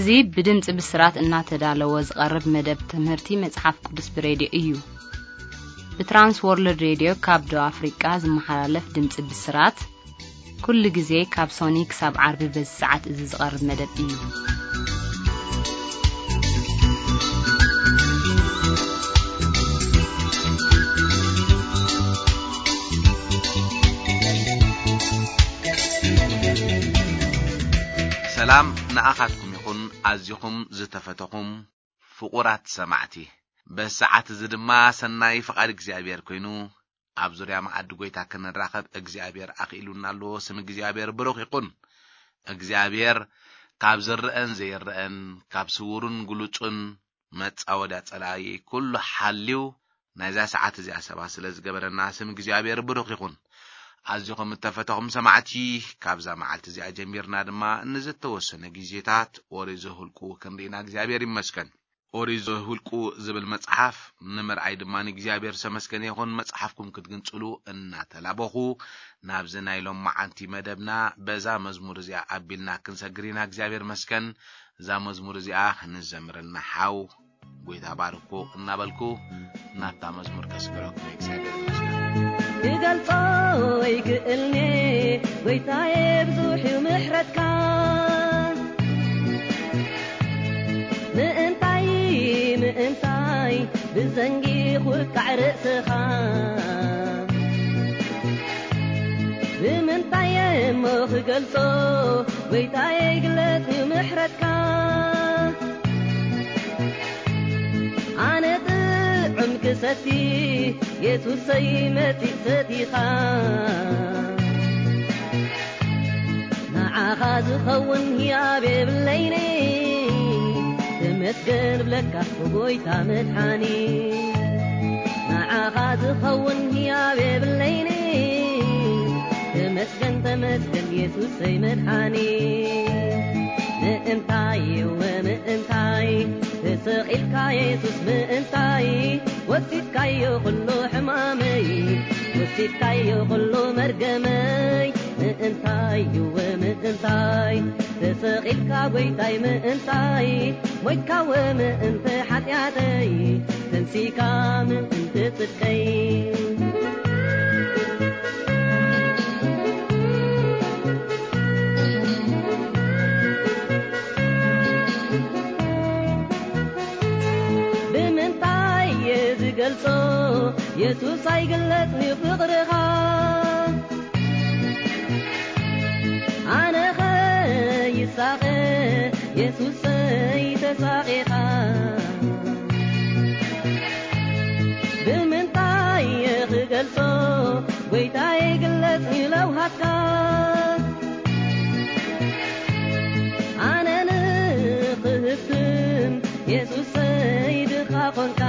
እዚ ብድምጺ ብስራት እናተዳለወ ዝቐርብ መደብ ትምህርቲ መጽሓፍ ቅዱስ ብሬድዮ እዩ። ብትራንስ ወርልድ ሬድዮ ካብ ደቡብ ኣፍሪቃ ዝመሓላለፍ ድምጺ ብስራት፣ ኩሉ ግዜ ካብ ሶኒ ክሳብ ዓርቢ በዚ ሰዓት እዚ ዝቐርብ መደብ እዩ። ሰላም ንኣኻትኩም ይኹን፣ ኣዚኹም ዝተፈተኹም ፍቑራት ሰማዕቲ። በዚ ሰዓት እዚ ድማ ሰናይ ፍቓድ እግዚኣብሔር ኮይኑ፣ ኣብ ዙርያ መኣዲ ጐይታ ክንራኸብ እግዚኣብሔር ኣኽኢሉና ኣሎ። ስም እግዚኣብሔር ብሩኽ ይኹን። እግዚኣብሔር ካብ ዝረኣን ዘይረኣን፣ ካብ ስዉርን ግሉጹን መጻወድያ ጸላኢ ኩሉ ሓልዩ ናይዛ ሰዓት እዚኣ ሰባት ስለ ዝገበረና ስም እግዚኣብሔር ብሩኽ ይኹን። ኣዚኹም እተፈተኹም ሰማዕቲ፣ ካብዛ መዓልቲ እዚኣ ጀሚርና ድማ ንዝተወሰነ ግዜታት ኦሪት ዘኍልቁ ክንርኢና እግዚኣብሔር ይመስገን። ኦሪት ዘኍልቁ ዝብል መጽሓፍ ንምርኣይ ድማ ንእግዚኣብሔር ዝተመስገነ ይኹን። መጽሓፍኩም ክትግንጽሉ እናተላበኹ ናብዚ ናይ ሎም መዓልቲ መደብና በዛ መዝሙር እዚኣ ኣቢልና ክንሰግር ኢና። እግዚኣብሔር መስገን። እዛ መዝሙር እዚኣ ንዘምረልና ሓው ጐይታ ባርኮ እናበልኩ ናብታ መዝሙር ከስግረኩም እየ። እግዚኣብሔር ይመስገን። ክገልጾ ይክእልኔ ጐይታዬ ብዙሕ እዩ ምሕረትካ። ምእንታይ ምእንታይ ብዘንጊ ኹቃዕ ርእስኻ። ብምንታይ እሞ ክገልጾ ጐይታዬ ግለጽ እዩ ምሕረትካ። ኣነ ጥዑም ክሰቲ የሱሰይ መጺእ ሰቲኻ። ንዓኻ ዝኸውን ህያብ የብለይኒ። ተመስገን ብለካ ጐይታ መድሓኒ። ንዓኻ ዝኸውን ህያብ የብለይኒ። ተመስገን ተመስገን የሱሰይ መድሓኒ። ምእንታይ እወ ምእንታይ ተሰቒልካ የሱስ ምእንታይ ወሲድካዮ ኩሉ ሕማመይ ወሲድካዮ ኩሉ መርገመይ ምእንታይ እወ ምእንታይ ተሰቒልካ ጐይታይ ምእንታይ ሞይትካ እወ ምእንቲ ሓጢኣተይ ተንሲካ ምእንቲ ጽድቀይ። ብምንታይ እየ ዝገልጾ የሱስ ኣይግለጽን እዩ ፍቕርኻ። ኣነኸ ይሳቐ የሱሰይ ተሳቒኻ። ብምንታይ እየ ክገልጾ ጐይታየ ግለጽ ንለውሃትካ። ኣነ ንኽህብትም የሱሰይ ድኻ ኾንካ።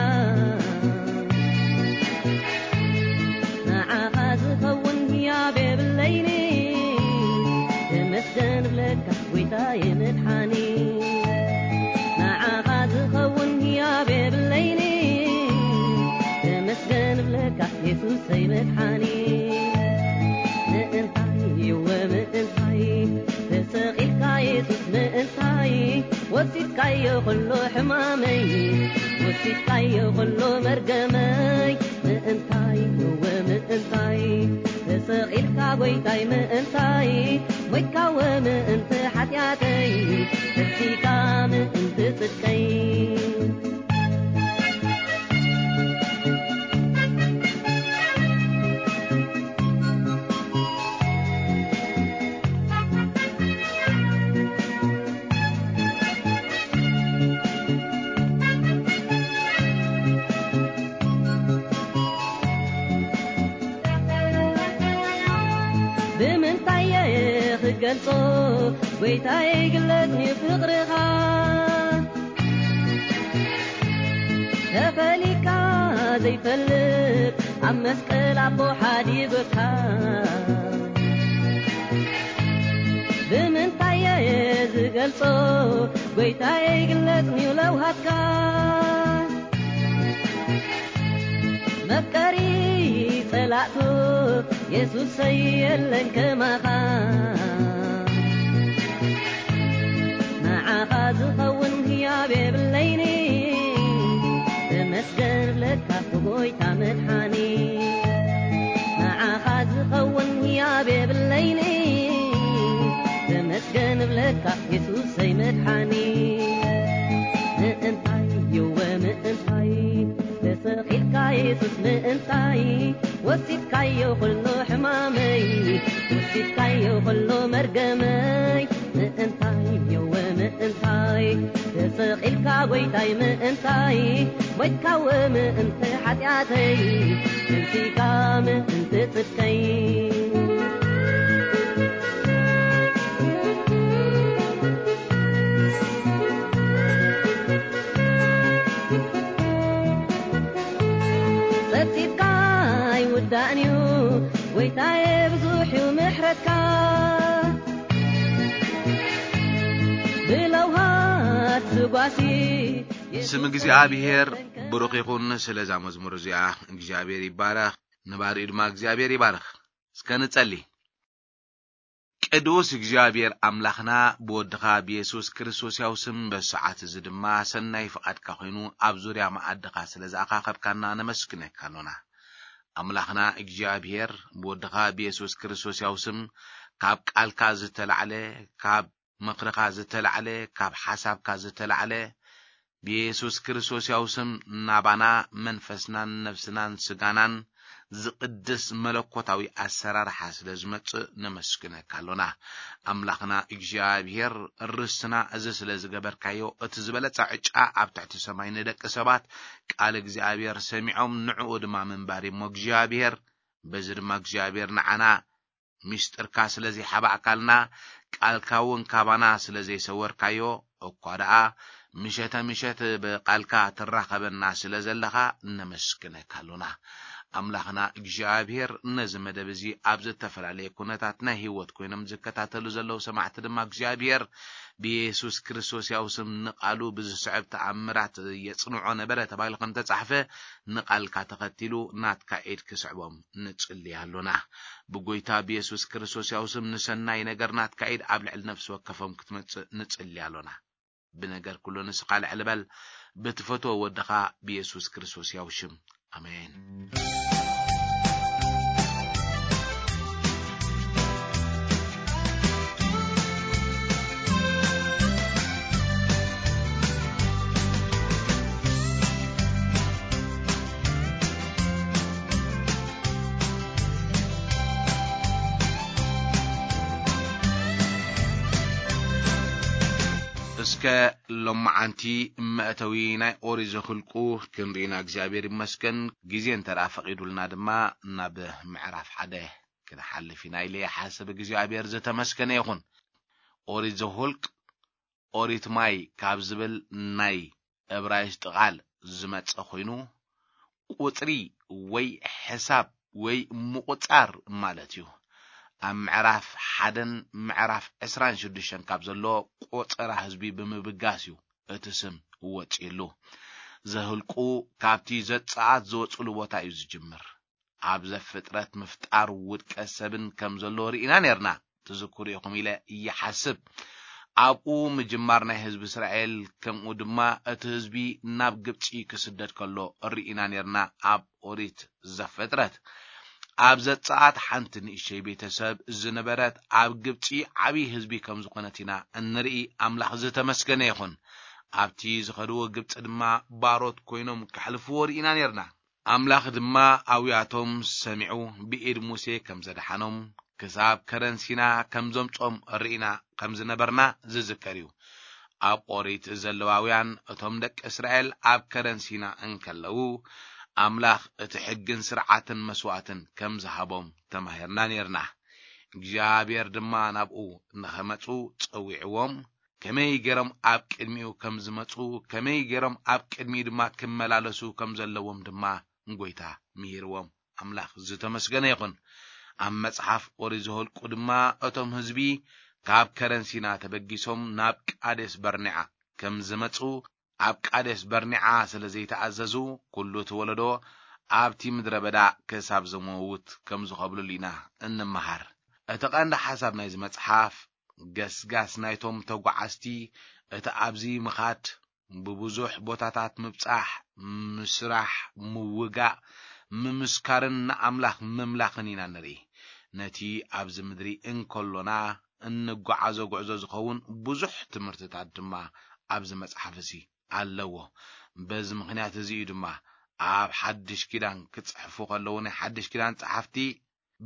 ንዓኻ ዝኸውን ህያብ የብለይኒ። ተመስገን ብለካ ጐይታየ መድሓኒ። ንዓኻ ዝኸውን ህያብ የብለይኒ። ተመስገን ብለካ የሱሰይ መድሓኒ። ምእንታይ እወ ምእንታይ ተሰቒልካ የሱስ ምእንታይ ወሲድካዮ ኩሉ ሕማመይ ወሲድካዮ ኩሉ መርገመይ ምእንታይ እወ ምእንታይ ተሰቒልካ ጐይታይ ምእንታይ ሞይትካ እወ ምእንቲ ሓጢኣተይ ተንሲካ ምእንቲ ጽድቀይ። ብምንታይ እየ ክገልጾ ጐይታየ ግለጽ ንፍቕርኻ። ተፈሊካ ዘይፈልጥ ኣብ መስቀል ኣቦ ሓዲጎካ። ብምንታይ እየ ዝገልጾ ጐይታየ ግለጽ ንለውሃትካ። መፍቀሪ ጸላእቱ የሱሰይ የለን ከማኻ። ንዓኻ ዝኸ ገንብለካ ብጎይታ መድሓኒ፣ ንዓኻ ዝኸውን ህያብ የብለይኒ። ተመስገን ብለካ የሱሰይ መድሓኒ። ምእንታይ የወ ምእንታይ ተሰቒልካ የሱስ ምእንታይ፣ ወሲድካዮ ኩሉ ሕማመይ፣ ወሲድካዮ ኩሉ መርገመይ። ምእንታይ የወ ምእንታይ ተሰቒልካ ጎይታይ ምእንታይ፣ ሞይትካወ ምእንቲ ሓጢኣተይ፣ ተንሲእካ ምእንቲ ጽድቀይ። ጸብጺብካ ኣይውዳእን'ዩ ጎይታየ፣ ብዙሕ'ዩ ምሕረትካ። ብለውሃት ስጓሲ ስም እግዚኣብሔር ብሩኽ ይኹን። ስለዛ መዝሙር እዚኣ እግዚኣብሔር ይባረኽ፣ ነባሪኡ ድማ እግዚኣብሔር ይባረኽ። እስከ ንጸሊ። ቅዱስ እግዚኣብሔር ኣምላኽና፣ ብወድኻ ብየሱስ ክርስቶስ ያው ስም በሰዓት እዚ ድማ ሰናይ ፍቓድካ ኮይኑ ኣብ ዙርያ መኣድኻ ስለ ዝኣኻኸብካና ነመስግነካ ኣሎና። ኣምላኽና እግዚኣብሔር፣ ብወድኻ ብየሱስ ክርስቶስ ያው ስም ካብ ቃልካ ዝተላዕለ፣ ካብ ምኽርኻ ዝተላዕለ፣ ካብ ሓሳብካ ዝተላዕለ፣ ብየሱስ ክርስቶስ ያው ስም ናባና መንፈስናን ነፍስናን ስጋናን ዝቕድስ መለኮታዊ ኣሰራርሓ ስለ ዝመጽእ ነመስግነካ ኣሎና። ኣምላኽና እግዚኣብሔር፣ ርስትና እዚ ስለ ዝገበርካዮ፣ እቲ ዝበለጸ ዕጫ ኣብ ትሕቲ ሰማይ ንደቂ ሰባት ቃል እግዚኣብሔር ሰሚዖም ንዕኡ ድማ ምንባር እሞ እግዚኣብሔር፣ በዚ ድማ እግዚኣብሔር ንዓና ሚስጥርካ ስለ ዘይሓባእካልና፣ ቃልካ እውን ካባና ስለ ዘይሰወርካዮ፣ እኳ ደኣ ምሸተ ምሸት ብቃልካ ትራኸበና ስለ ዘለኻ ነመስግነካ ኣሎና። ኣምላኽና እግዚኣብሔር፣ ነዚ መደብ እዚ ኣብ ዝተፈላለየ ኩነታት ናይ ህይወት ኮይኖም ዝከታተሉ ዘለዉ ሰማዕቲ ድማ እግዚኣብሔር ብየሱስ ክርስቶስ ያው ስም ንቃሉ ብዝስዕብ ተኣምራት የጽንዖ ነበረ ተባሂሉ ከም ተጻሕፈ ንቃልካ ተኸቲሉ ናትካ ኢድ ክስዕቦም ንጽሊ ኣሎና። ብጎይታ ብየሱስ ክርስቶስ ያው ስም ንሰናይ ነገር ናትካ ኢድ ኣብ ልዕሊ ነፍሲ ወከፎም ክትመጽእ ንጽሊ ኣሎና። ብነገር ኩሉ ንስኻ ልዕሊ በል፣ ብትፈትዎ ወድኻ ብየሱስ ክርስቶስ ያው ሽም። ኣሜን። እስከ ሎማዓንቲ መእተዊ ናይ ኦሪት ዘኍልቁ ክንርኢና እግዚኣብሔር ይመስገን። ግዜ እንተ ደኣ ፈቒዱልና ድማ ናብ ምዕራፍ ሓደ ክንሓልፍ ኢና ኢለ ይሓስብ። እግዚኣብሔር ዝተመስገነ ይኹን። ኦሪት ዘኍልቅ፣ ኦሪት ማይ ካብ ዝብል ናይ እብራይስጢ ቃል ዝመጸ ኮይኑ፣ ቁጽሪ ወይ ሕሳብ ወይ ምቑጻር ማለት እዩ። ኣብ ምዕራፍ ሓደን ምዕራፍ ዕስራን ሽዱሽተን ካብ ዘሎ ቆጸራ ህዝቢ ብምብጋስ እዩ እቲ ስም ወጺእሉ። ዘህልቁ ካብቲ ዘጸኣት ዝወጽእሉ ቦታ እዩ ዝጅምር። ኣብ ዘፍጥረት ምፍጣር ውድቀት ሰብን ከም ዘሎ ርኢና ነርና፣ ትዝክሩ ኢኹም ኢለ ይሓስብ። ኣብኡ ምጅማር ናይ ህዝቢ እስራኤል፣ ከምኡ ድማ እቲ ህዝቢ ናብ ግብጺ ክስደድ ከሎ ርኢና ነርና ኣብ ኦሪት ዘፍጥረት። ኣብ ዘጸኣት ሓንቲ ንእሽተይ ቤተሰብ ዝነበረት ኣብ ግብጺ ዓብዪ ህዝቢ ከም ዝኾነት ኢና እንርኢ። ኣምላኽ ዝተመስገነ ይኹን። ኣብቲ ዝኸድዎ ግብጺ ድማ ባሮት ኮይኖም ከሕልፍዎ ርኢና ነርና። ኣምላኽ ድማ ኣውያቶም ሰሚዑ ብኢድ ሙሴ ከም ዘድሓኖም ክሳብ ከረን ሲና ከም ዘምጾም ርኢና ከም ዝነበርና ዝዝከር እዩ። ኣብ ኦሪት ዘለዋውያን እቶም ደቂ እስራኤል ኣብ ከረን ሲና እንከለዉ ኣምላኽ እቲ ሕግን ስርዓትን መስዋእትን ከም ዝሃቦም ተማሂርና ነርና። እግዚኣብሔር ድማ ናብኡ ንኸመጹ ጸዊዕዎም፣ ከመይ ገይሮም ኣብ ቅድሚኡ ከም ዝመጹ፣ ከመይ ገይሮም ኣብ ቅድሚኡ ድማ ክመላለሱ ከም ዘለዎም ድማ ጎይታ ምሂርዎም። ኣምላኽ ዝተመስገነ ይኹን። ኣብ መጽሓፍ ኦሪት ዘኍልቁ ድማ እቶም ህዝቢ ካብ ከረን ሲና ተበጊሶም ናብ ቃዴስ በርኔዓ ከም ዝመጹ፣ ኣብ ቃዴስ በርኔዓ ስለ ዘይተኣዘዙ፣ ኩሉ እቲ ወለዶ ኣብቲ ምድረ በዳ ክሳብ ዝመውት ከም ዝኸብሉሉ ኢና እንመሃር። እቲ ቀንዲ ሓሳብ ናይዚ መጽሓፍ፣ ገስጋስ ናይቶም ተጓዓዝቲ፣ እቲ ኣብዚ ምኻድ ብብዙሕ ቦታታት ምብጻሕ፣ ምስራሕ፣ ምውጋእ፣ ምምስካርን ንኣምላኽ ምምላኽን ኢና ንርኢ። ነቲ ኣብዚ ምድሪ እንከሎና እንጓዓዞ ጉዕዞ ዝኸውን ብዙሕ ትምህርትታት ድማ ኣብዚ መጽሓፍ እዚ ኣለዎ። በዚ ምኽንያት እዚ እዩ ድማ ኣብ ሓድሽ ኪዳን ክጽሕፉ ከለዉ ናይ ሓድሽ ኪዳን ጸሓፍቲ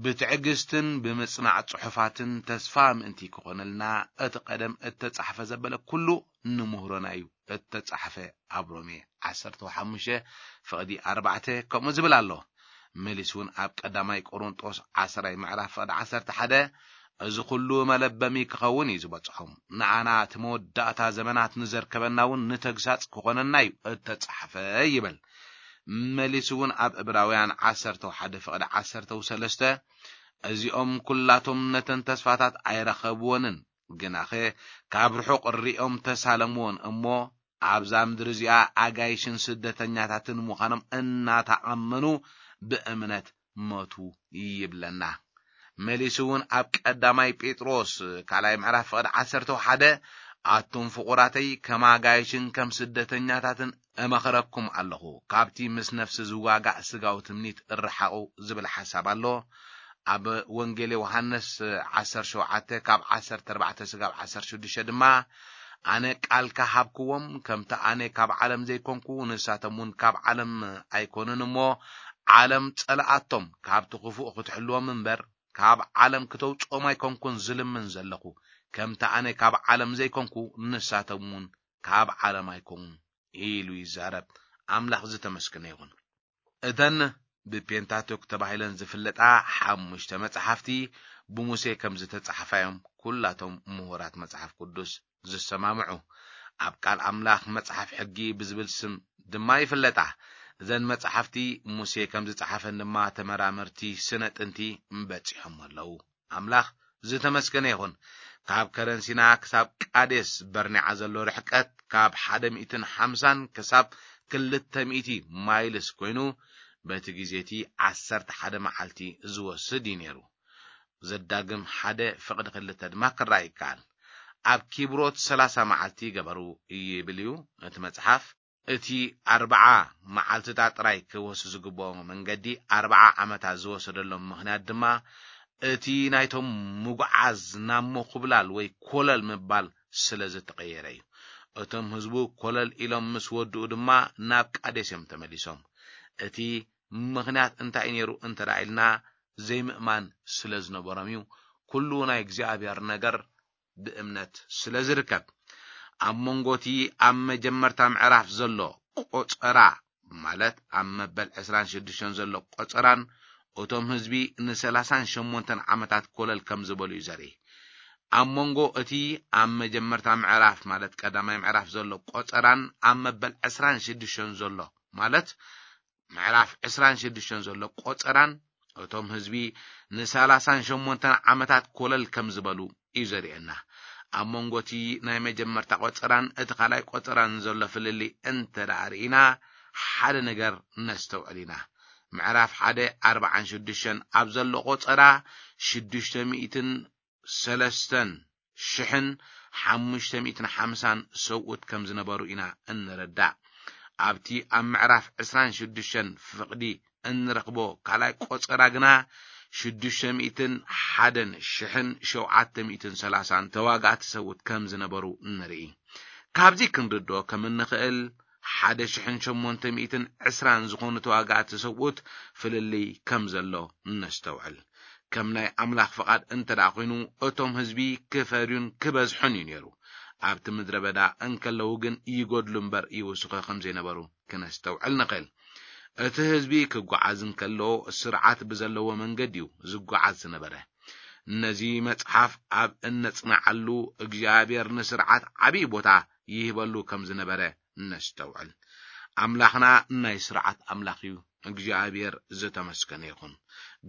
ብትዕግስትን ብምጽናዕ ጽሑፋትን ተስፋ ምእንቲ ክኾነልና እቲ ቀደም እተጻሕፈ ዘበለ ኩሉ ንምህሮና እዩ እተጻሕፈ። ኣብ ሮሜ ዓሰርተ ሓሙሽተ ፍቕዲ ኣርባዕተ ከምኡ ዝብል ኣሎ። መሊስ እውን ኣብ ቀዳማይ ቆሮንጦስ ዓስራይ ምዕራፍ ፍቕዲ ዓሰርተ ሓደ፣ እዚ ኩሉ መለበሚ ክኸውን እዩ ዝበጽሖም፣ ንኣና እቲ መወዳእታ ዘመናት ንዘርከበና እውን ንተግሳጽ ክኾነና እዩ እተጻሕፈ ይብል። መሊስ እውን ኣብ እብራውያን ዓሰርተ ሓደ ፍቕዲ ዓሰርተ ሰለስተ፣ እዚኦም ኩላቶም ነተን ተስፋታት ኣይረኸብወንን፣ ግናኸ ካብ ርሑቕ ሪኦም ተሳለምዎን እሞ ኣብዛ ምድሪ እዚኣ ኣጋይሽን ስደተኛታትን ምዃኖም እናተኣመኑ ብእምነት ሞቱ ይብለና። መሊሱ እውን ኣብ ቀዳማይ ጴጥሮስ ካልኣይ ምዕራፍ ፍቕዲ ዓሰርተ ሓደ፣ ኣቱም ፍቑራተይ ከም ኣጋይሽን ከም ስደተኛታትን እመኽረኩም ኣለኹ፣ ካብቲ ምስ ነፍሲ ዝዋጋእ ስጋዊ ትምኒት እርሓቑ ዝብል ሓሳብ ኣሎ። ኣብ ወንጌል ዮሃንስ ዓሰርተ ሸውዓተ ካብ ዓሰርተ ኣርባዕተ ስጋብ ዓሰርተ ሽዱሽተ ድማ፣ ኣነ ቃልካ ሃብክዎም፣ ከምቲ ኣነ ካብ ዓለም ዘይኮንኩ ንሳቶም እውን ካብ ዓለም ኣይኮኑን እሞ፣ ዓለም ጸልኣቶም፣ ካብቲ ክፉእ ክትሕልዎም እምበር ካብ ዓለም ክተውጽኦም ኣይኮንኩን ዝልምን ዘለኹ፣ ከምቲ ኣነ ካብ ዓለም ዘይኮንኩ ንሳቶም እውን ካብ ዓለም ኣይኮኑን ኢሉ ይዛረብ። ኣምላኽ ዝተመስገነ ይኹን። እተን ብፔንታቶክ ተባሂለን ዝፍለጣ ሓሙሽተ መጽሓፍቲ ብሙሴ ከም ዝተጻሕፋ እዮም ኩላቶም ምሁራት መጽሓፍ ቅዱስ ዝሰማምዑ። ኣብ ቃል ኣምላኽ መጽሓፍ ሕጊ ብዝብል ስም ድማ ይፍለጣ። እዘን መጽሓፍቲ ሙሴ ከም ዝጸሓፈን ድማ ተመራመርቲ ስነ ጥንቲ በጺሖም ኣለዉ። ኣምላኽ ዝተመስገነ ይኹን። ካብ ከረን ሲና ክሳብ ቃዴስ በርኔዓ ዘሎ ርሕቀት ካብ ሓደ ሚእትን ሓምሳን ክሳብ ክልተ ሚእቲ ማይልስ ኮይኑ፣ በቲ ግዜ እቲ ዓሰርተ ሓደ መዓልቲ ዝወስድ እዩ ነይሩ። ዘዳግም ሓደ ፍቕዲ ክልተ ድማ ክረኣ ይከኣል። ኣብ ኪብሮት ሰላሳ መዓልቲ ገበሩ ይብል እዩ እቲ መጽሓፍ። እቲ ኣርብዓ መዓልትታት ጥራይ ክወስድ ዝግብኦ መንገዲ ኣርብዓ ዓመታት ዝወሰደሎም ምኽንያት ድማ፣ እቲ ናይቶም ምጉዓዝ ናብ ምኹብላል ወይ ኮለል ምባል ስለ ዝተቐየረ እዩ። እቶም ህዝቡ ኮለል ኢሎም ምስ ወድኡ ድማ ናብ ቃዴስ እዮም ተመሊሶም። እቲ ምኽንያት እንታይ ነይሩ እንተ ደኣ ኢልና፣ ዘይምእማን ስለ ዝነበሮም እዩ። ኩሉ ናይ እግዚኣብሔር ነገር ብእምነት ስለ ዝርከብ። ኣብ መንጎ እቲ ኣብ መጀመርታ ምዕራፍ ዘሎ ቆጸራ፣ ማለት ኣብ መበል ዕስራን ሽዱሽተን ዘሎ ቆጸራን እቶም ህዝቢ ንሰላሳን ሸሞንተን ዓመታት ኮለል ከም ዝበሉ እዩ ዘርኢ። ኣብ መንጎ እቲ ኣብ መጀመርታ ምዕራፍ፣ ማለት ቀዳማይ ምዕራፍ ዘሎ ቆጸራን ኣብ መበል ዕስራን ሽዱሽተን ዘሎ፣ ማለት ምዕራፍ ዕስራን ሽዱሽተን ዘሎ ቆጸራን እቶም ህዝቢ ንሰላሳን ሸሞንተን ዓመታት ኮለል ከም ዝበሉ እዩ ዘርእየና። ኣብ መንጎ እቲ ናይ መጀመርታ ቆጸራን እቲ ካልኣይ ቆጸራን ዘሎ ፍልልይ እንተ ደኣ ርኢና፣ ሓደ ነገር ነስተውዕል ኢና። ምዕራፍ ሓደ ኣርባዓን ሽዱሽተን ኣብ ዘሎ ቆጸራ ሽዱሽተ ሚእትን ሰለስተን ሽሕን ሓሙሽተ ሚእትን ሓምሳን ሰብኡት ከም ዝነበሩ ኢና እንርዳእ። ኣብቲ ኣብ ምዕራፍ ዕስራን ሽዱሽተን ፍቕዲ እንረኽቦ ካልኣይ ቆጸራ ግና ሽዱሽተ ሚእትን ሓደን ሽሕን ሸውዓተ ሚእትን ሰላሳን ተዋጋእቲ ሰብኡት ከም ዝነበሩ ንርኢ። ካብዚ ክንርድኦ ከም እንኽእል፣ ሓደ ሽሕን ሸሞንተ ሚእትን ዕስራን ዝኾኑ ተዋጋእቲ ሰብኡት ፍልልይ ከም ዘሎ ነስተውዕል። ከም ናይ ኣምላኽ ፍቓድ እንተ ደኣ ኾይኑ፣ እቶም ህዝቢ ክፈርዩን ክበዝሑን እዩ ነይሩ። ኣብቲ ምድረ በዳ እንከለዉ ግን ይጎድሉ እምበር ይውስኹ ከም ዘይነበሩ ክነስተውዕል ንኽእል። እቲ ህዝቢ ክጓዓዝ እንከሎ፣ ስርዓት ብዘለዎ መንገዲ እዩ ዝጓዓዝ ዝነበረ። ነዚ መጽሓፍ ኣብ እነጽንዓሉ፣ እግዚኣብሔር ንስርዓት ዓብዪ ቦታ ይህበሉ ከም ዝነበረ ነስተውዕል። ኣምላኽና ናይ ስርዓት ኣምላኽ እዩ። እግዚኣብሔር ዝተመስገነ ይኹን።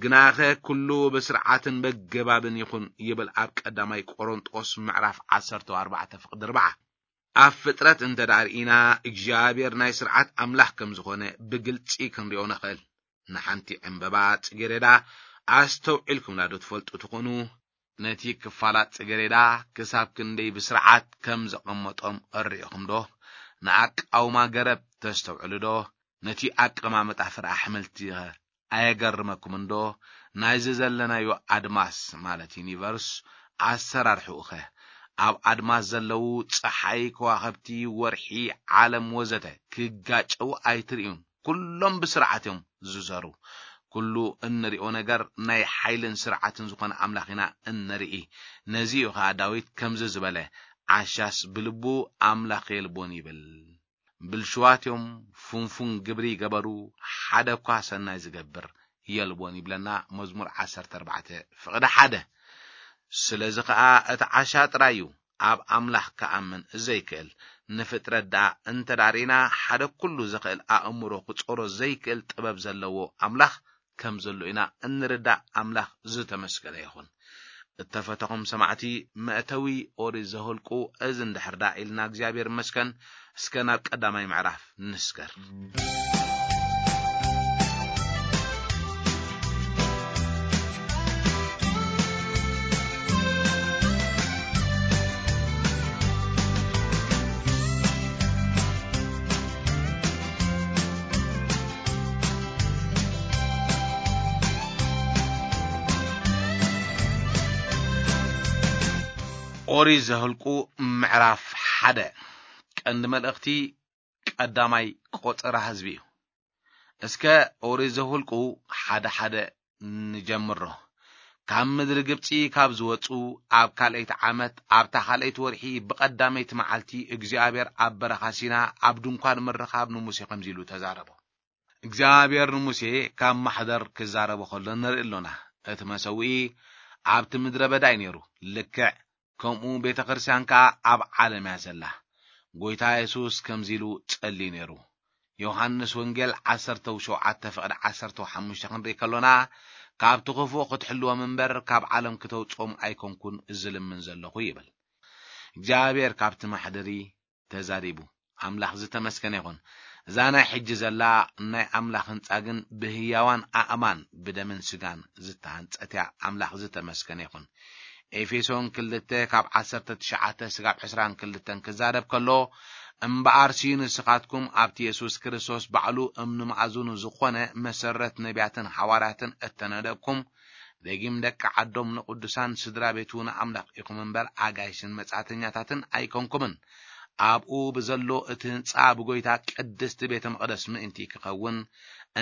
ግናኸ ኩሉ ብስርዓትን በገባብን ይኹን ይብል ኣብ ቀዳማይ ቆሮንጦስ ምዕራፍ ዓሰርተ ኣርባዕተ ፍቕዲ ኣርባዓ። ኣብ ፍጥረት እንተ ደኣ ርኢና እግዚኣብሔር ናይ ስርዓት ኣምላኽ ከም ዝኾነ ብግልጺ ክንሪኦ ንኽእል። ንሓንቲ ዕምበባ ጽጌረዳ ኣስተውዒልኩምላ ዶ ትፈልጡ ትኾኑ? ነቲ ክፋላት ጽጌረዳ ክሳብ ክንደይ ብስርዓት ከም ዘቐመጦም እርኢኹም ዶ? ንኣቃውማ ገረብ ተስተውዕሉ ዶ? ነቲ ኣቀማምጣ ፍረ ኣሕምልቲ ኸ ኣየገርመኩም እንዶ? ናይዚ ዘለናዮ ኣድማስ፣ ማለት ዩኒቨርስ፣ ኣሰራርሕኡ ኸ? ኣብ ኣድማስ ዘለዉ ጸሓይ፣ ከዋኸብቲ፣ ወርሒ፣ ዓለም ወዘተ ክጋጨዉ ኣይትርእዩን። ኩሎም ብስርዓት እዮም ዝዘሩ። ኩሉ እንሪኦ ነገር ናይ ሓይልን ስርዓትን ዝኾነ ኣምላኽ ኢና እንርኢ። ነዚ እዩ ኸኣ ዳዊት ከምዚ ዝበለ፣ "ዓሻስ ብልቡ ኣምላኽ የልቦን" ይብል። ብልሽዋት እዮም፣ ፍንፉን ግብሪ ይገበሩ፣ ሓደ እኳ ሰናይ ዝገብር የልቦን ይብለና መዝሙር ዓሰርተ ኣርባዕተ ፍቕዲ ሓደ። ስለዚ ኸኣ እቲ ዓሻ ጥራይ እዩ ኣብ ኣምላኽ ክኣምን ዘይክእል። ንፍጥረት ደኣ እንተ ደኣ ርኢና፣ ሓደ ኩሉ ዝኽእል ኣእምሮ ክጾሮ ዘይክእል ጥበብ ዘለዎ ኣምላኽ ከም ዘሎ ኢና እንርዳእ። ኣምላኽ ዝተመስገነ ይኹን። እተፈተኹም ሰማዕቲ፣ መእተዊ ኦሪት ዘኍልቁ እዚ እንድሕር ደኣ ኢልና፣ እግዚኣብሔር ይመስገን። እስከ ናብ ቀዳማይ ምዕራፍ ንስገር። ኦሪት ዘኍልቁ ምዕራፍ ሓደ። ቀንዲ መልእኽቲ ቀዳማይ ቆጸራ ህዝቢ እዩ። እስከ ኦሪት ዘኍልቁ ሓደ ሓደ ንጀምሮ። ካብ ምድሪ ግብጺ ካብ ዝወጹ ኣብ ካልኣይቲ ዓመት ኣብታ ካልኣይቲ ወርሒ ብቐዳመይቲ መዓልቲ እግዚኣብሔር ኣብ በረኻ ሲና ኣብ ድንኳን ምርኻብ ንሙሴ ከምዚ ኢሉ ተዛረቦ። እግዚኣብሔር ንሙሴ ካብ ማሕደር ክዛረቦ ከሎ ንርኢ ኣሎና። እቲ መሰውኢ ኣብቲ ምድረ በዳ እዩ ነይሩ፣ ልክዕ ከምኡ ቤተ ክርስቲያን ከኣ ኣብ ዓለም እያ ዘላ። ጐይታ የሱስ ከምዚ ኢሉ ጸልዩ ነይሩ። ዮሃንስ ወንጌል ዓሰርተ ሸውዓተ ፍቕዲ ዓሰርተ ሓሙሽተ ክንርኢ ከሎና፣ "ካብቲ ክፉእ ክትሕልዎም እምበር፣ ካብ ዓለም ክተውጽኦም ኣይኮንኩን ዝልምን ዘለኹ" ይብል። እግዚኣብሔር ካብቲ ማሕደሪ ተዛሪቡ። ኣምላኽ ዝተመስገነ ይኹን። እዛ ናይ ሕጂ ዘላ ናይ ኣምላኽ ህንጻ ግን ብህያዋን ኣእማን ብደምን ስጋን ዝተሃንጸት እያ። ኣምላኽ ዝተመስገነ ይኹን። ኤፌሶን ክልተ ካብ ዓሰርተ ትሽዓተ ስጋብ ዕስራን ክልተን ክዛረብ ከሎ፣ "እምበኣርሲ ንስኻትኩም ኣብቲ የሱስ ክርስቶስ ባዕሉ እምኒ መኣዝኑ ዝኾነ መሰረት ነቢያትን ሓዋርያትን እተነደብኩም፣ ደጊም ደቂ ዓዶም ንቅዱሳን ስድራ ቤቱ ንኣምላኽ ኢኹም እምበር ኣጋይሽን መጻእተኛታትን ኣይኮንኩምን። ኣብኡ ብዘሎ እቲ ህንጻ ብጎይታ ቅድስቲ ቤተ መቕደስ ምእንቲ ክኸውን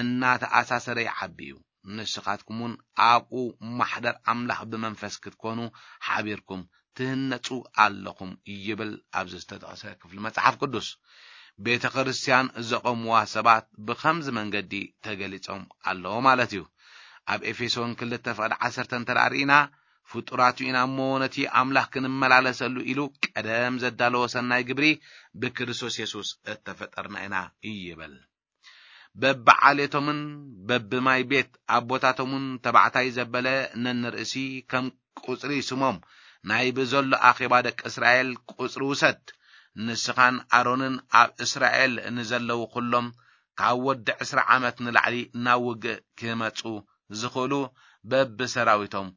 እናተኣሳሰረ ይዓቢ እዩ። ንስኻትኩም እውን ኣብኡ ማሕደር ኣምላኽ ብመንፈስ ክትኮኑ ሓቢርኩም ትህነጹ ኣለኹም" ይብል ኣብዚ ዝተጠቕሰ ክፍሊ መጽሓፍ ቅዱስ። ቤተ ክርስቲያን ዘቐምዋ ሰባት ብኸምዚ መንገዲ ተገሊጾም ኣለዉ ማለት እዩ። ኣብ ኤፌሶን ክልተ ፍቕዲ ዓሰርተ እንተ ደኣ ርኢና፣ "ፍጡራት ኢና እሞ ነቲ ኣምላኽ ክንመላለሰሉ ኢሉ ቀደም ዘዳለዎ ሰናይ ግብሪ ብክርስቶስ የሱስ እተፈጠርና ኢና" ይብል። በብዓሌቶምን በብማይ ቤት ኣቦታቶምን ተባዕታይ ዘበለ ነንርእሲ ከም ቁጽሪ ስሞም ናይ ብዘሎ ኣኼባ ደቂ እስራኤል ቁጽሪ ውሰድ። ንስኻን ኣሮንን ኣብ እስራኤል ንዘለዉ ኩሎም ካብ ወዲ ዕስራ ዓመት ንላዕሊ ናብ ውግእ ክመጹ ዝኽእሉ በብሰራዊቶም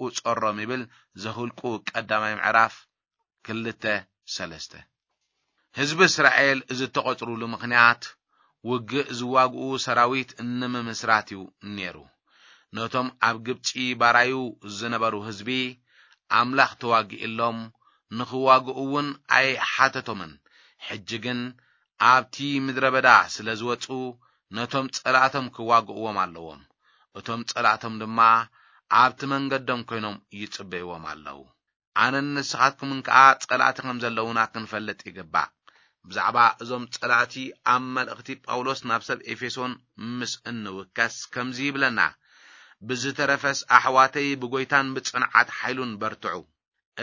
ቁጸሮም ይብል ዘኍልቁ ቀዳማይ ምዕራፍ ክልተ ሰለስተ። ህዝቢ እስራኤል ዝተቖጽሩሉ ምኽንያት ውግእ ዝዋግኡ ሰራዊት ንምምስራት እዩ ነይሩ። ነቶም ኣብ ግብጺ ባራዩ ዝነበሩ ህዝቢ ኣምላኽ ተዋጊእሎም፣ ንኽዋግኡ እውን ኣይሓተቶምን። ሕጂ ግን ኣብቲ ምድረ በዳ ስለ ዝወጹ ነቶም ጸላእቶም ክዋግእዎም ኣለዎም። እቶም ጸላእቶም ድማ ኣብቲ መንገዶም ኮይኖም ይጽበይዎም ኣለዉ። ኣነን ንስኻትኩምን ከኣ ጸላእቲ ከም ዘለዉና ክንፈልጥ ይግባእ። ብዛዕባ እዞም ጸላእቲ ኣብ መልእኽቲ ጳውሎስ ናብ ሰብ ኤፌሶን ምስ እንውከስ ከምዚ ይብለና፣ "ብዝተረፈስ ኣሕዋተይ ብጎይታን ብጽንዓት ሓይሉን በርትዑ።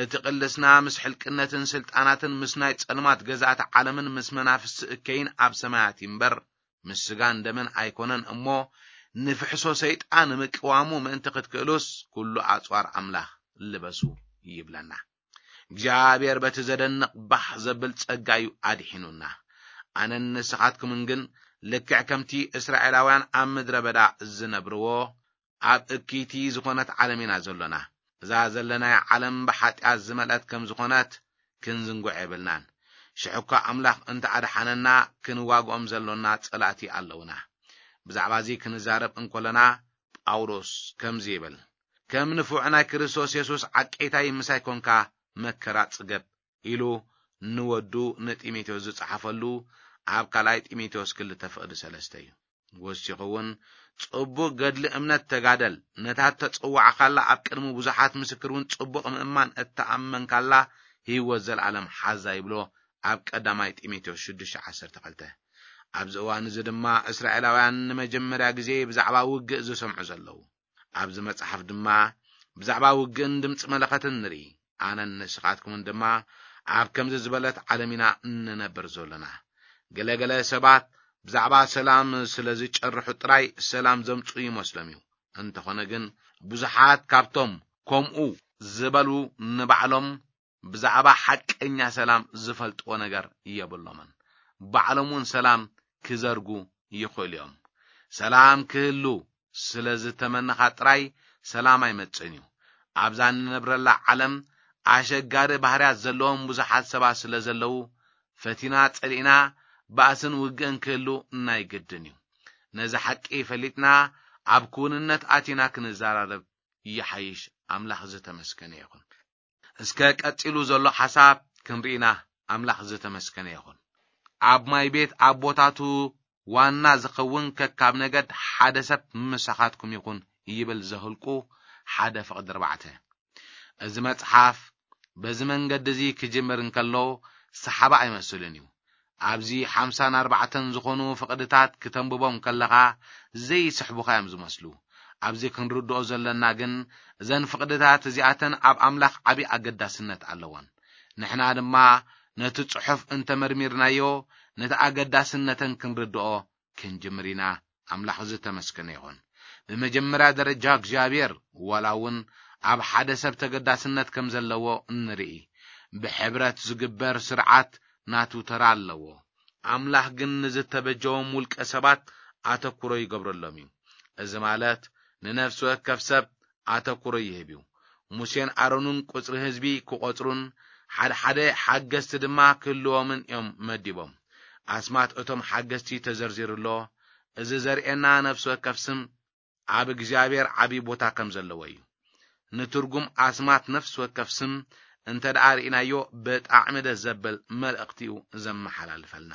እቲ ቅልስና ምስ ሕልቅነትን ስልጣናትን ምስ ናይ ጸልማት ገዛእቲ ዓለምን ምስ መናፍስቲ እከይን ኣብ ሰማያት እዩ እምበር ምስ ስጋን ደምን ኣይኮነን እሞ ንፍሕሶ ሰይጣን ምቅዋሙ ምእንቲ ክትክእሉስ ኩሉ ኣጽዋር ኣምላኽ ልበሱ" ይብለና። እግዚኣብሔር በቲ ዘደንቕ ባህ ዘብል ጸጋ እዩ ኣድሒኑና። ኣነን ንስኻትኩምን ግን ልክዕ ከምቲ እስራኤላውያን ኣብ ምድረ በዳ ዝነብርዎ ኣብ እክይቲ ዝኾነት ዓለም ኢና ዘሎና። እዛ ዘለናያ ዓለም ብሓጢኣት ዝመልአት ከም ዝኾነት ክንዝንጉዕ የብልናን። ሽሕኳ ኣምላኽ እንተ ኣድሓነና፣ ክንዋግኦም ዘሎና ጸላእቲ ኣለውና። ብዛዕባ እዚ ክንዛረብ እንኮለና፣ ጳውሎስ ከምዚ ይብል፣ ከም ንፉዕ ናይ ክርስቶስ የሱስ ዓቄታይ ምሳይ ኮንካ መከራ ጽገብ ኢሉ ንወዱ ንጢሞቴዎስ ዝጸሓፈሉ ኣብ ካልኣይ ጢሞቴዎስ ክልተ ፍቕዲ ሰለስተ እዩ። ወሲኹ እውን፣ ጽቡቕ ገድሊ እምነት ተጋደል፣ ነታ እተጸዋዕካላ ኣብ ቅድሚ ብዙሓት ምስክር እውን ጽቡቕ ምእማን እተኣመንካላ ህይወት ዘለኣለም ሓዛ ይብሎ ኣብ ቀዳማይ ጢሞቴዎስ ሽዱሽተ ዓሰርተ ክልተ። ኣብዚ እዋን እዚ ድማ እስራኤላውያን ንመጀመርያ ግዜ ብዛዕባ ውግእ ዝሰምዑ ዘለዉ። ኣብዚ መጽሓፍ ድማ ብዛዕባ ውግእን ድምጺ መለኸትን ንርኢ። ኣነን ንስኻትኩምን ድማ ኣብ ከምዚ ዝበለት ዓለም ኢና እንነብር ዘሎና። ገለ ገለ ሰባት ብዛዕባ ሰላም ስለ ዝጨርሑ ጥራይ ሰላም ዘምጽኡ ይመስሎም እዩ። እንተኾነ ግን ብዙሓት ካብቶም ከምኡ ዝበሉ ንባዕሎም ብዛዕባ ሓቀኛ ሰላም ዝፈልጥዎ ነገር የብሎምን። ባዕሎም እውን ሰላም ክዘርጉ ይኽእሉ እዮም። ሰላም ክህሉ ስለ ዝተመነኻ ጥራይ ሰላም ኣይመጽእን እዩ። ኣብዛ እንነብረላ ዓለም ኣሸጋሪ ባህርያት ዘለዎም ብዙሓት ሰባት ስለ ዘለዉ፣ ፈቲና ጸሊእና ባእስን ውግእን ክህሉ ናይ ግድን እዩ። ነዚ ሓቂ ፈሊጥና ኣብ ክውንነት ኣቲና ክንዘራረብ ይሓይሽ። ኣምላኽ ዝተመስገነ ይኹን። እስከ ቀጺሉ ዘሎ ሓሳብ ክንርኢና። ኣምላኽ ዝተመስገነ ይኹን። ኣብ ማይ ቤት ኣቦታቱ ዋና ዝኸውን ከካብ ነገድ ሓደ ሰብ ምሳኻትኩም ይኹን ይብል ዘህልቁ ሓደ ፍቕዲ ኣርባዕተ። እዚ መጽሓፍ በዚ መንገዲ እዚ ክጅምር እንከሎ ሰሓባ ኣይመስልን እዩ። ኣብዚ ሓምሳን ኣርባዕተን ዝኾኑ ፍቕድታት ክተንብቦም ከለኻ ዘይስሕቡኻ እዮም ዝመስሉ። ኣብዚ ክንርድኦ ዘለና ግን እዘን ፍቕድታት እዚኣተን ኣብ ኣምላኽ ዓቢ ኣገዳስነት ኣለወን። ንሕና ድማ ነቲ ጽሑፍ እንተመርሚርናዮ ነቲ ኣገዳስነተን ክንርድኦ ክንጅምር ኢና። ኣምላኽ ዝተመስገነ ይኹን። ብመጀመርያ ደረጃ እግዚኣብሔር ዋላ እውን ኣብ ሓደ ሰብ ተገዳስነት ከም ዘለዎ እንርኢ። ብሕብረት ዝግበር ስርዓት ናቱ ተራ ኣለዎ። ኣምላኽ ግን ንዝተበጀዎም ውልቀ ሰባት ኣተኩሮ ይገብረሎም እዩ። እዚ ማለት ንነፍሲ ወከፍ ሰብ ኣተኩሮ ይህብ እዩ። ሙሴን ኣሮንን ቁጽሪ ህዝቢ ክቖጽሩን ሓደ ሓደ ሓገዝቲ ድማ ክህልዎምን እዮም መዲቦም። ኣስማት እቶም ሓገዝቲ ተዘርዚሩ ኣሎ። እዚ ዘርእየና ነፍሲ ወከፍ ስም ኣብ እግዚኣብሔር ዓቢ ቦታ ከም ዘለዎ እዩ። ንትርጉም ኣስማት ነፍሲ ወከፍ ስም እንተ ደኣ ርኢናዮ ብጣዕሚ ደስ ዘብል መልእኽቲ እዩ ዘመሓላልፈልና።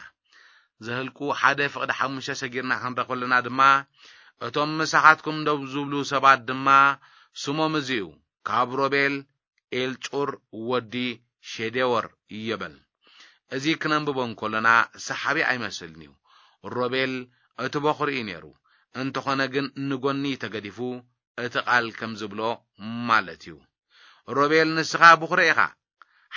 ዘህልቁ ሓደ ፍቕዲ ሓሙሽተ ሰጊርና ክንረ ከለና ድማ እቶም ምሳኻትኩም ደው ዝብሉ ሰባት ድማ ስሞም እዚ እዩ፣ ካብ ሮቤል ኤልጹር ወዲ ሸዴወር ይበል። እዚ ክነንብቦ እንከሎና ሰሓቢ ኣይመስልን እዩ። ሮቤል እቲ በኹሪ እዩ ነይሩ። እንተኾነ ግን ንጎኒ ተገዲፉ እቲ ቃል ከም ዝብሎ ማለት እዩ። ሮቤል ንስኻ በኹሪ ኢኻ።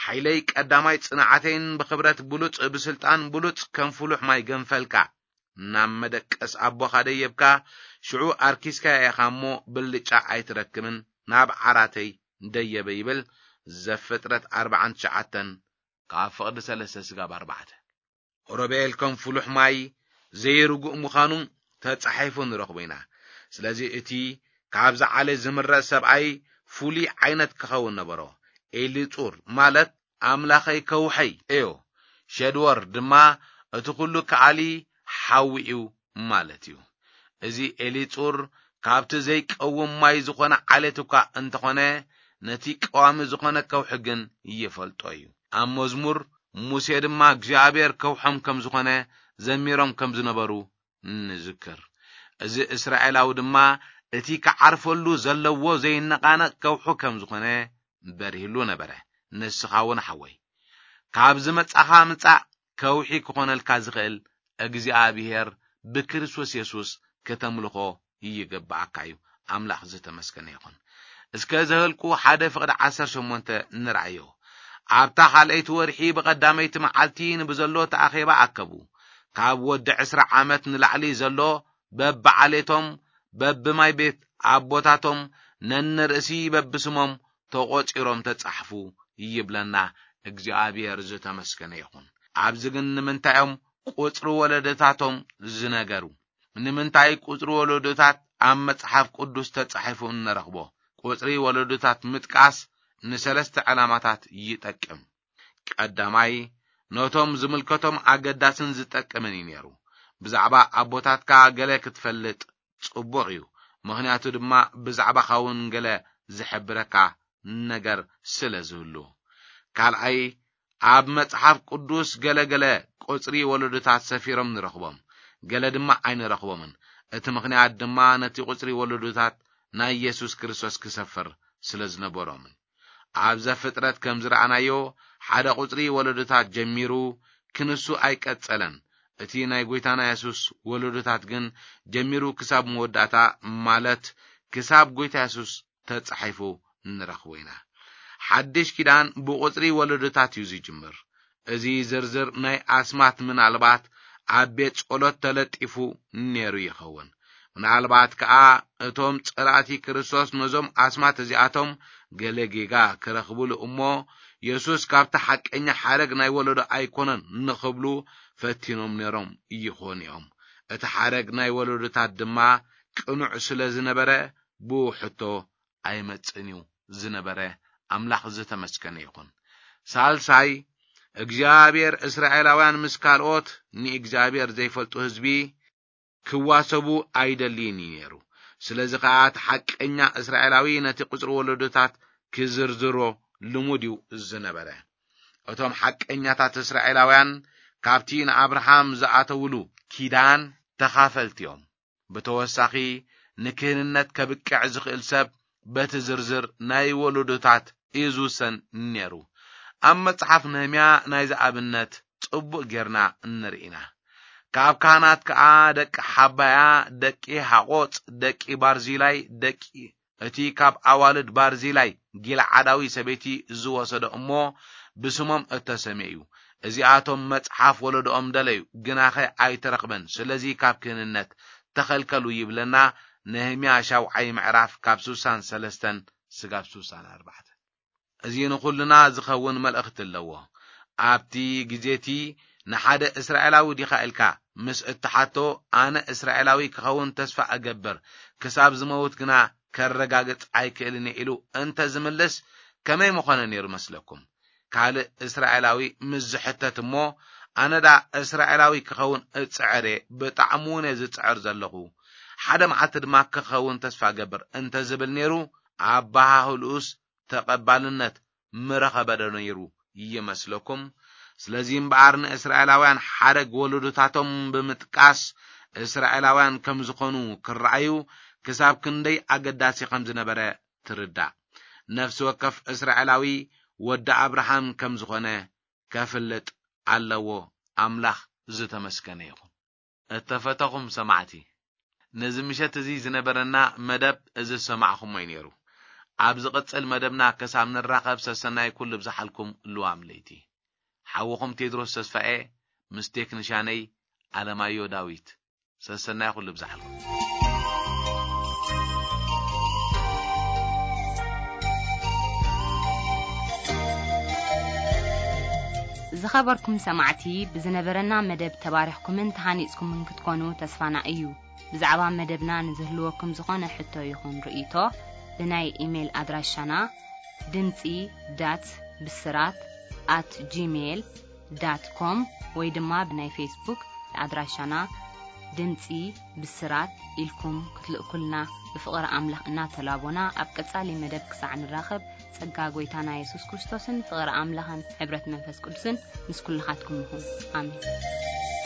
ሓይለይ ቀዳማይ ጽንዓተይን ብኽብረት ብሉጽ ብስልጣን ብሉጽ ከም ፍሉሕ ማይ ገንፈልካ ናብ መደቀስ ኣቦኻ ደየብካ፣ ሽዑ ኣርኪስካያ ኢኻ እሞ ብልጫ ኣይትረክብን፣ ናብ ዓራተይ ደየበ ይብል። ዘፍጥረት ኣርባዓን ትሽዓተን ካብ ፍቕዲ ሰለስተ ስጋብ ኣርባዕተ። ሮቤል ከም ፍሉሕ ማይ ዘይርጉእ ምዃኑ ተጻሒፉ ንረኽቦ ኢና። ስለዚ እቲ ካብዚ ዓሌት ዝምረጽ ሰብኣይ ፍሉይ ዓይነት ክኸውን ነበሮ። ኤሊጹር ማለት ኣምላኸይ ከውሐይ እዩ። ሸድወር ድማ እቲ ኩሉ ከኣሊ ሓዊ እዩ ማለት እዩ። እዚ ኤሊጹር ካብቲ ዘይቀውም ማይ ዝኾነ ዓሌት እኳ እንተኾነ፣ ነቲ ቀዋሚ ዝኾነ ከውሒ ግን ይፈልጦ እዩ። ኣብ መዝሙር ሙሴ ድማ እግዚኣብሔር ከውሖም ከም ዝኾነ ዘሚሮም ከም ዝነበሩ ንዝክር። እዚ እስራኤላዊ ድማ እቲ ክዓርፈሉ ዘለዎ ዘይነቓነቕ ከውሑ ከም ዝኾነ በሪህሉ ነበረ። ንስኻ እውን ሓወይ፣ ካብ ዝመጻኻ ምጻእ ከውሒ ክኾነልካ ዝኽእል እግዚኣብሔር ብክርስቶስ የሱስ ከተምልኾ ይግብኣካ እዩ። ኣምላኽ ዝተመስገነ ይኹን። እስከ ዘህልቁ ሓደ ፍቕዲ ዓሰርተ ሸሞንተ ንርኣዮ። ኣብታ ካልኣይቲ ወርሒ ብቐዳመይቲ መዓልቲ ንብዘሎ ተኣኼባ ኣከቡ። ካብ ወዲ ዕስራ ዓመት ንላዕሊ ዘሎ በብዓሌቶም በብማይ ቤት ኣቦታቶም ነንርእሲ በብስሞም ተቖጺሮም ተጻሕፉ ይብለና። እግዚኣብሔር ዝተመስገነ ይኹን። ኣብዚ ግን ንምንታይ እዮም ቁጽሪ ወለዶታቶም ዝነገሩ? ንምንታይ ቁጽሪ ወለዶታት ኣብ መጽሓፍ ቅዱስ ተጻሒፉ እንረኽቦ? ቁጽሪ ወለዶታት ምጥቃስ ንሰለስተ ዕላማታት ይጠቅም። ቀዳማይ፣ ነቶም ዝምልከቶም ኣገዳስን ዝጠቅምን እዩ ነይሩ። ብዛዕባ ኣቦታትካ ገለ ክትፈልጥ ጽቡቕ እዩ፣ ምኽንያቱ ድማ ብዛዕባኻ እውን ገለ ዝሕብረካ ነገር ስለ ዝህሉ። ካልኣይ፣ ኣብ መጽሓፍ ቅዱስ ገለ ገለ ቁጽሪ ወለዶታት ሰፊሮም ንረኽቦም፣ ገለ ድማ ኣይንረኽቦምን። እቲ ምኽንያት ድማ ነቲ ቁጽሪ ወለዶታት ናይ የሱስ ክርስቶስ ክሰፍር ስለ ዝነበሮምን። ኣብ ዘፍጥረት ከም ዝረኣናዮ፣ ሓደ ቁጽሪ ወለዶታት ጀሚሩ ክንሱ ኣይቀጸለን። እቲ ናይ ጎይታና የሱስ ወለዶታት ግን ጀሚሩ ክሳብ መወዳእታ፣ ማለት ክሳብ ጎይታ የሱስ ተጻሒፉ ንረኽቦ ኢና። ሓድሽ ኪዳን ብቁጽሪ ወለዶታት እዩ ዝጅምር። እዚ ዝርዝር ናይ ኣስማት ምናልባት ኣብ ቤት ጸሎት ተለጢፉ ነይሩ ይኸውን። ምናልባት ከኣ እቶም ጸላእቲ ክርስቶስ ነዞም ኣስማት እዚኣቶም ገለ ጌጋ ክረኽብሉ እሞ፣ የሱስ ካብቲ ሓቀኛ ሓረግ ናይ ወለዶ ኣይኮነን ንኽብሉ ፈቲኖም ነይሮም ይኾኑ እዮም። እቲ ሓረግ ናይ ወለዶታት ድማ ቅኑዕ ስለ ዝነበረ፣ ብኡ ሕቶ ኣይመጽእን እዩ ዝነበረ። ኣምላኽ ዝተመስገነ ይኹን። ሳልሳይ፣ እግዚኣብሔር እስራኤላውያን ምስ ካልኦት ንእግዚኣብሔር ዘይፈልጡ ህዝቢ ክዋሰቡ ኣይደልይን እዩ ነይሩ። ስለዚ ከኣ እቲ ሓቀኛ እስራኤላዊ ነቲ ቁጽሪ ወለዶታት ክዝርዝሮ ልሙድ እዩ ዝነበረ። እቶም ሓቀኛታት እስራኤላውያን ካብቲ ንኣብርሃም ዝኣተውሉ ኪዳን ተኻፈልቲ እዮም። ብተወሳኺ፣ ንክህንነት ከብቅዕ ዝኽእል ሰብ በቲ ዝርዝር ናይ ወለዶታት እዩ ዝውሰን ነይሩ። ኣብ መጽሓፍ ነህምያ ናይዚ ኣብነት ጽቡቕ ጌርና እንርኢ ኢና። ካብ ካህናት ከኣ ደቂ ሓባያ፣ ደቂ ሃቆጽ፣ ደቂ ባርዚላይ፣ ደቂ እቲ ካብ ኣዋልድ ባርዚላይ ጊልዓዳዊ ሰበይቲ ዝወሰዶ እሞ ብስሞም እተሰምየ እዩ። እዚኣቶም መጽሓፍ ወለዶኦም ደለዩ፣ ግናኸ ኣይተረኽበን፣ ስለዚ ካብ ክህንነት ተኸልከሉ ይብለና። ነህምያ ሻውዓይ ምዕራፍ ካብ ስሳን ሰለስተን ስጋብ ስሳን ኣርባዕተ። እዚ ንኹልና ዝኸውን መልእኽቲ ኣለዎ። ኣብቲ ግዜቲ ንሓደ እስራኤላዊ ዲኻ ኢልካ ምስ እትሓቶ፣ ኣነ እስራኤላዊ ክኸውን ተስፋ እገብር፣ ክሳብ ዝመውት ግና ከረጋግጽ ኣይክእልን እየ ኢሉ እንተ ዝምልስ፣ ከመይ ምኾነ ነይሩ መስለኩም? ካልእ እስራኤላዊ ምስ ዝሕተት እሞ፣ ኣነ ደኣ እስራኤላዊ ክኸውን እጽዕር እየ፣ ብጣዕሚ እውን እየ ዝጽዕር ዘለኹ፣ ሓደ መዓልቲ ድማ ክኸውን ተስፋ እገብር እንተ ዝብል ነይሩ፣ ኣበሃህልኡስ ተቐባልነት ምረኸበ ዶ ነይሩ ይመስለኩም? ስለዚ እምበኣር ንእስራኤላውያን ሓረግ ወለዶታቶም ብምጥቃስ እስራኤላውያን ከም ዝኾኑ ክረኣዩ ክሳብ ክንደይ ኣገዳሲ ከም ዝነበረ ትርዳእ። ነፍሲ ወከፍ እስራኤላዊ ወዲ ኣብርሃም ከም ዝኾነ ከፍልጥ ኣለዎ። ኣምላኽ ዝተመስገነ ይኹን። እተፈተኹም ሰማዕቲ፣ ነዚ ምሸት እዚ ዝነበረና መደብ እዚ ዝሰማዕኹሞ እዩ ነይሩ። ኣብ ዝቕጽል መደብና ክሳብ ንራኸብ ሰሰናይ ኩሉ ብዝሓልኩም ልዋም ለይቲ። ሓውኹም ቴድሮስ ተስፋኤ ምስ ቴክኒሻነይ ኣለማዮ ዳዊት። ሰሰናይ ኩሉ ብዝሓልኩም። ዝኸበርኩም ሰማዕቲ፣ ብዝነበረና መደብ ተባሪኽኩምን ተሃኒጽኩምን ክትኮኑ ተስፋና እዩ። ብዛዕባ መደብና ንዝህልወኩም ዝኾነ ሕቶ ይኹን ርእይቶ፣ ብናይ ኢሜይል ኣድራሻና ድምጺ ዳት ብስራት ኣት ጂሜይል ዳት ኮም ወይ ድማ ብናይ ፌስቡክ ኣድራሻና ድምጺ ብስራት ኢልኩም ክትልእኩልና ብፍቕሪ ኣምላኽ እናተላቦና፣ ኣብ ቀጻሊ መደብ ክሳዕ ንራኸብ፣ ጸጋ ጐይታና የሱስ ክርስቶስን ፍቕሪ ኣምላኽን ሕብረት መንፈስ ቅዱስን ምስ ኩልኻትኩም ይኹን። ኣሜን።